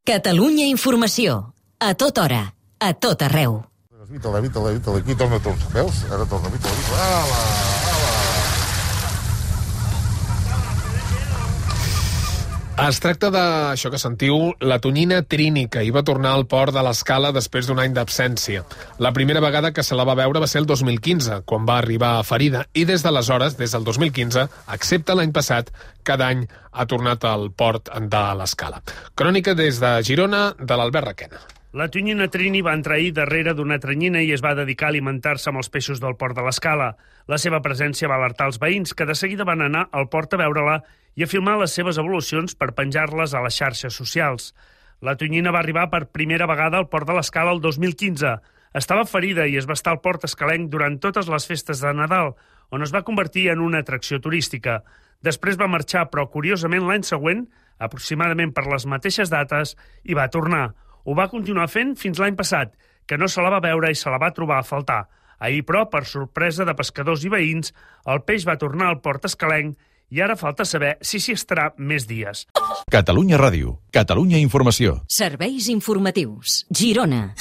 Catalunya Informació. A tota hora, a tot arreu. Vita-la, aquí torna tot. Veus? Ara torna, vita-la. Ala! Es tracta d'això que sentiu, la tonyina Trini, que hi va tornar al port de l'Escala després d'un any d'absència. La primera vegada que se la va veure va ser el 2015, quan va arribar ferida, i des d'aleshores, des del 2015, excepte l'any passat, cada any ha tornat al port de l'Escala. Crònica des de Girona, de l'Albert Requena. La tonyina Trini va entrar ahir darrere d'una tranyina i es va dedicar a alimentar-se amb els peixos del port de l'Escala. La seva presència va alertar els veïns, que de seguida van anar al port a veure-la i a filmar les seves evolucions per penjar-les a les xarxes socials. La tonyina va arribar per primera vegada al port de l'Escala el 2015. Estava ferida i es va estar al port escalenc durant totes les festes de Nadal, on es va convertir en una atracció turística. Després va marxar, però curiosament l'any següent, aproximadament per les mateixes dates, hi va tornar. Ho va continuar fent fins l'any passat, que no se la va veure i se la va trobar a faltar. Ahir, però, per sorpresa de pescadors i veïns, el peix va tornar al port escalenc i ara falta saber si s'hi estarà més dies. Catalunya Ràdio, Catalunya Informació. Serveis informatius. Girona.